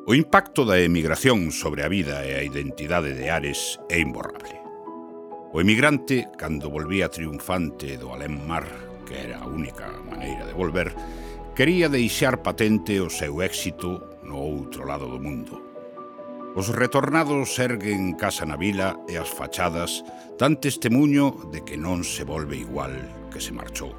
O impacto da emigración sobre a vida e a identidade de Ares é imborrable. O emigrante, cando volvía triunfante do alén mar, que era a única maneira de volver, quería deixar patente o seu éxito no outro lado do mundo. Os retornados erguen casa na vila e as fachadas dan testemuño de que non se volve igual que se marchou.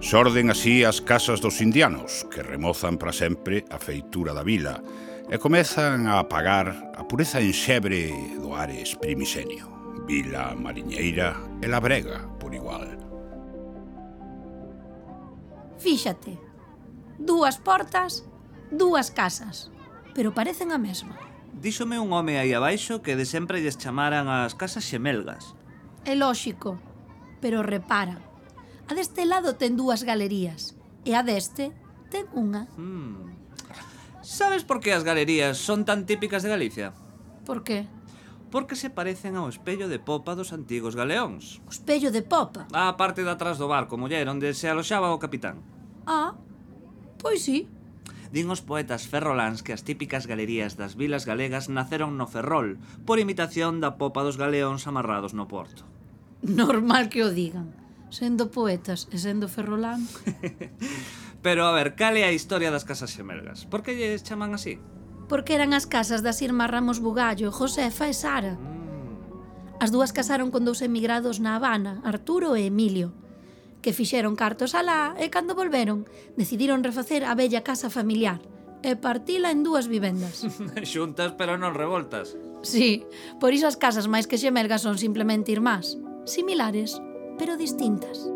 Xorden así as casas dos indianos, que remozan para sempre a feitura da vila e comezan a apagar a pureza enxebre do Ares primisenio. Vila, mariñeira e labrega por igual. Fíxate, 2 portas, 2 casas, pero parecen a mesma. Díxome un home aí abaixo que de sempre lles chamaran as casas xemelgas. É lóxico, pero repara, a deste lado ten 2 galerías e a deste ten unha. Sabes por que as galerías son tan típicas de Galicia? Por que? Porque se parecen ao espello de popa dos antigos galeóns. O espello de popa. A parte de atrás do barco, muller, onde se aloxaba o capitán. Ah, pois sí. Din os poetas ferroláns que as típicas galerías das vilas galegas naceron no Ferrol, por imitación da popa dos galeóns amarrados no porto. Normal que o digan, sendo poetas e sendo ferrolán. Pero, a ver, cal é a historia das casas xemelgas? Por que lles chaman así? Porque eran as casas das irmás Ramos Bugallo, Josefa e Sara. As 2 casaron con 2 emigrados na Habana, Arturo e Emilio, que fixeron cartos alá e cando volveron decidiron refacer a bella casa familiar e partila en 2 vivendas. Xuntas pero non revoltas. Sí, por iso as casas máis que xemelgas son simplemente irmás, similares, pero distintas.